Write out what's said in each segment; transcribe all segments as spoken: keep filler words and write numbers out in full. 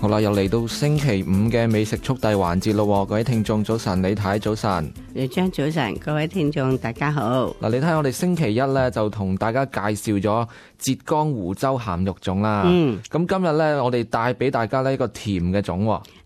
好啦，又嚟到星期五嘅美食速遞環節咯，各位聽眾早晨，李太早晨，李張早晨，各位聽眾大家好。嗱，你睇我哋星期一咧就同大家介紹咗浙江湖州鹹肉粽啦。嗯，咁今日咧我哋帶俾大家呢一個甜嘅粽。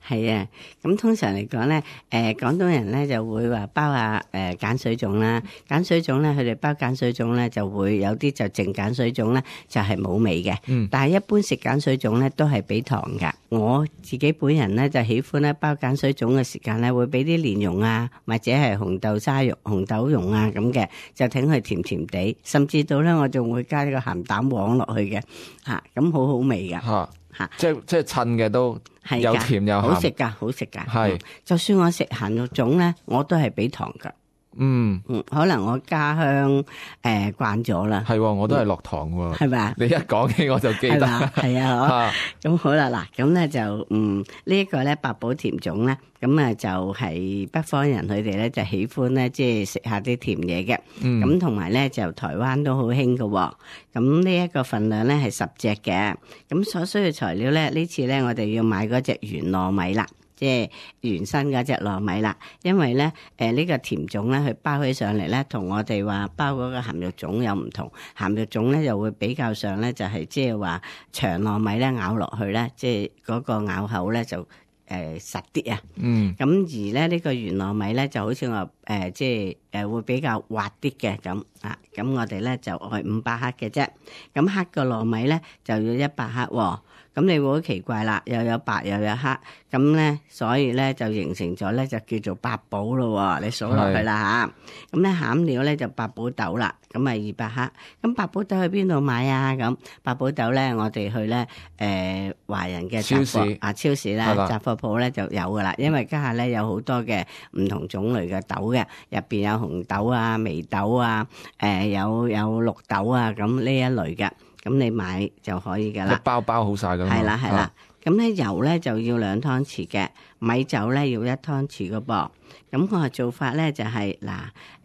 係啊，咁通常嚟講咧，誒、呃、廣東人咧就會話包下誒鹼水粽啦，鹼水粽咧佢哋包鹼水粽咧就會有啲就淨鹼水粽咧就係冇味嘅，嗯，但係一般食鹼水粽咧都係俾糖噶。我自己本人咧就喜歡咧包鹼水粽嘅時間咧會俾啲蓮蓉啊，或者係紅豆沙蓉、紅豆蓉啊咁嘅，就挺佢甜甜地，甚至到咧我仲會加呢個鹹蛋黃落去嘅，吓、啊、咁好好味噶。啊吓，即係即係襯嘅都有甜有鹹，好食噶，好食噶。係、嗯，就算我食鹹肉粽咧，我都係俾糖噶。嗯嗯，可能我家鄉誒慣咗啦。係、呃，我都係落糖喎。係咪啊？你一講起我就記得。係啊，咁好啦，嗱，咁咧就嗯、這個、呢一個咧八寶甜粽咧，咁啊就係北方人佢哋咧就喜歡咧即係食下啲甜嘢嘅。咁同埋咧就台灣都好興㗎。咁呢一個份量咧係十隻嘅。咁所需嘅材料咧呢次咧我哋要買嗰隻圓糯米啦。即係原生嗰隻糯米啦，因為咧，誒、呃、呢、這個甜粽咧，佢包起上嚟咧，同我哋話包嗰個鹹肉粽有唔同。鹹肉粽咧就會比較上咧，就係即係話長糯米咧咬落去咧，即係嗰個咬口咧就誒、呃、實啲啊。嗯。咁而咧呢、這個圓糯米咧就好似我誒即係誒會比較滑啲嘅咁啊。咁我哋咧就係五百克嘅啫。咁黑個糯米咧就要一百克喎。咁你會好奇怪啦，又有白又有黑，咁咧，所以咧就形成咗咧就叫做八寶咯。你數落去啦吓，咁咧餡料咧就八寶豆啦，咁啊二百克。咁八寶豆去邊度買啊？咁八寶豆咧，我哋去咧誒華人嘅超市啊超市啦，雜貨鋪咧就有噶啦。因為家下咧有好多嘅唔同種類嘅豆嘅，入邊有紅豆啊、眉豆啊、誒、呃、有有綠豆啊，咁呢一類嘅。咁你買就可以噶啦，一包包好晒㗎嘛。係啦係啦，咁咧、啊、油咧就要兩湯匙嘅，米酒咧要一湯匙嘅噃。咁我嘅做法咧就係、是、嗱，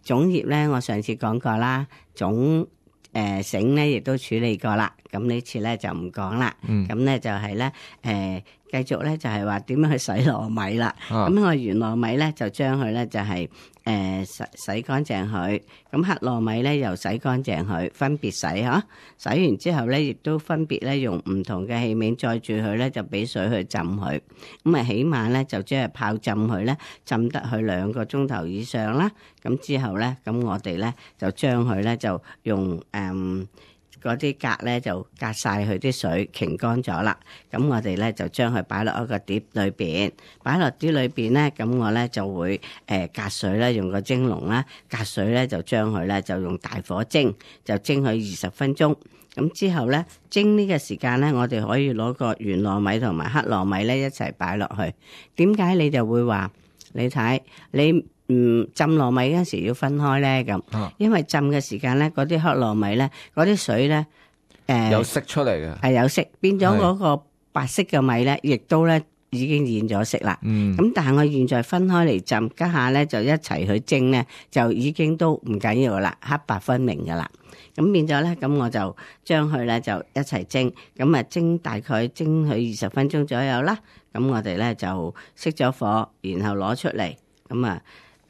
粽葉咧我上次講過啦，粽誒繩咧亦都處理過啦。咁呢次咧就唔講啦。咁咧、嗯、就係咧誒繼續咧就係話點樣去洗糯米啦。咁、啊、我圓糯米咧就將佢咧就係、是。誒、呃、洗洗乾淨佢，咁黑糯米咧又洗乾淨佢，分別洗嚇。洗完之後咧，亦都分別咧用唔同嘅器皿載住佢咧，就俾水去浸佢。咁啊，起碼咧就即係泡浸佢咧，浸得佢兩個鐘頭以上啦。咁之後咧，咁我哋咧就將佢咧就用誒。嗯嗰啲格咧就隔晒佢啲水，擎乾咗啦。咁我哋咧就將佢擺落一個碟裏邊，擺落碟裏邊咧，咁我咧就會誒隔水咧，用個蒸籠啦，隔水咧就將佢咧就用大火蒸，就蒸佢二十分鐘。咁之後咧蒸呢個時間咧，我哋可以攞個圓糯米同埋黑糯米咧一齊擺落去。點解你就會話你睇你？嗯，浸糯米嗰陣時要分開咧，咁，因為浸嘅時間咧，嗰啲黑糯米咧，嗰啲水咧，誒、呃，有色出嚟嘅，係有色，變咗嗰個白色嘅米咧，亦都咧已經染咗色啦。嗯，咁但係我現在分開嚟浸，家下咧就一齊去蒸咧，就已經都唔緊要噶啦，黑白分明噶啦。咁變咗咧，咁我就將佢咧就一齊蒸，咁啊蒸大概蒸佢二十分鐘左右啦。咁我哋咧就熄咗火，然後攞出嚟，咁啊。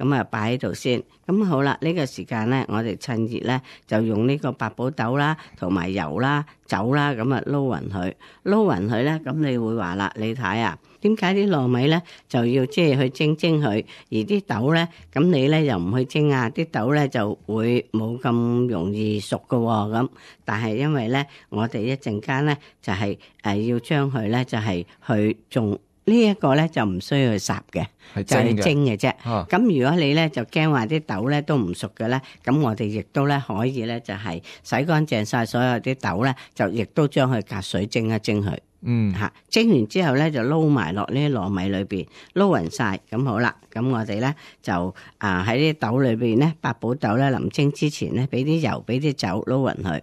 咁啊，擺喺度先。咁好啦，呢個時間咧，我哋趁熱咧，就用呢個八寶豆啦，同埋油啦、酒啦，咁啊撈勻佢，撈勻佢咧。咁你會話啦，你睇啊，點解啲糯米咧就要即係去蒸蒸佢，而啲豆咧，咁你咧又唔去蒸啊？啲豆咧就會冇咁容易熟㗎喎。咁但係因為咧，我哋一陣間咧就係誒要將佢咧就係去種。呢一個咧就唔需要去烚嘅，就係蒸嘅啫。咁、啊、如果你咧就驚話啲豆咧都唔熟嘅咧，咁我哋亦都咧可以咧就係洗乾淨晒所有啲豆咧，就亦都將佢隔水蒸一蒸佢。嗯，嚇蒸完之後咧就撈埋落呢啲糯米裏邊，撈勻晒。咁好啦。咁我哋咧就啊喺啲豆裏邊咧，八寶豆咧臨蒸之前咧，俾啲油，俾啲酒撈勻佢。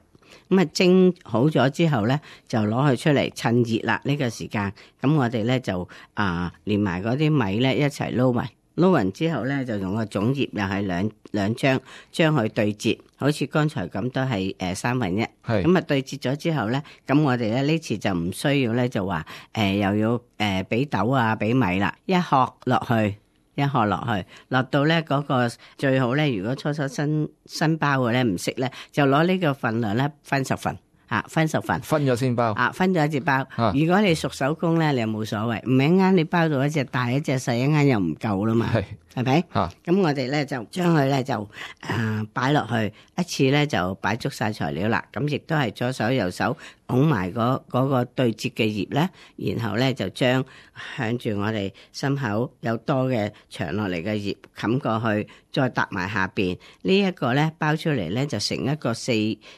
咁啊蒸好咗之後咧，就攞佢出嚟趁熱啦呢個時間。咁我哋咧就啊連埋嗰啲米咧一齊撈埋，撈勻之後咧，就用個粽葉又係兩兩張，將佢對折，好似剛才咁都係誒三分一。係咁啊對折咗之後咧，咁我哋咧呢次就唔需要咧就話誒、呃、又要誒俾、呃、豆啊俾米啦，一殼落去，一殼落去，落到咧嗰個最好咧，如果初初新新包嘅咧唔識咧，就攞呢個份量咧分十份。啊，分十份，分咗先包。啊，分咗一隻包。啊、如果你熟手工咧，你又冇所謂。唔係一啱你包到一隻大，一隻細，一啱又唔夠啦嘛。係，係咪？嚇。咁我哋咧就將佢咧就誒擺落去，一次咧就擺足晒材料啦。咁亦都係左手右手拱埋嗰嗰個對折嘅葉咧，然後咧就將向住我哋心口有多嘅長落嚟嘅葉冚過去，再搭埋下邊。這個、呢一個咧包出嚟咧就成一個四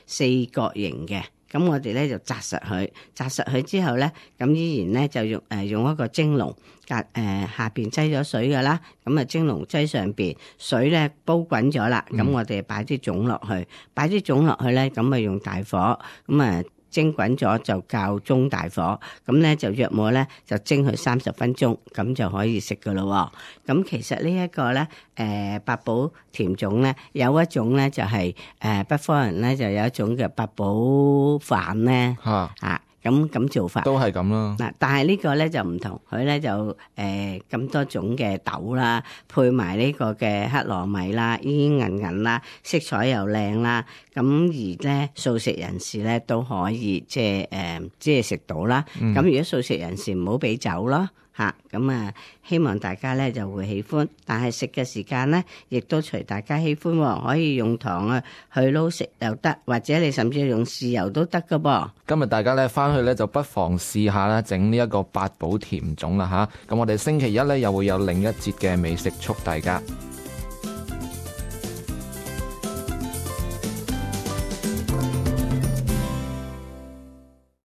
四角形嘅。咁我哋咧就紮實佢，紮實佢之後咧，咁依然咧就用誒、呃、用一個蒸籠，隔誒下邊擠咗水噶啦，咁啊蒸籠擠上邊，水咧煲滾咗啦，咁、嗯、我哋擺啲粽落去，擺啲粽落去咧，咁啊用大火，咁啊蒸滾咗就較中大火，咁咧就約莫咧就蒸佢三十分鐘，咁就可以食噶咯。咁其實呢一個咧，誒八寶甜粽咧，有一種咧就係、是、誒、呃、北方人咧就有一種嘅八寶飯咧，嚇啊咁咁做法都係咁啦。嗱，但係呢個咧就唔同，佢咧就誒咁、呃、多種嘅豆啦，配埋呢個嘅黑糯米啦，煙煙韌韌啦，色彩又靚啦，咁而咧素食人士咧都可以即係誒即係食到啦。咁、嗯、如果素食人士唔好俾酒咯。嚇咁啊！希望大家咧就會喜歡，但係食嘅時間咧，亦都隨大家喜歡喎。可以用糖啊去撈食又得，或者你甚至用豉油都得㗎噃。今日大家咧翻去咧就不妨試下啦，整呢一個八寶甜粽啦嚇。咁我哋星期一咧又會有另一節嘅美食速遞㗎。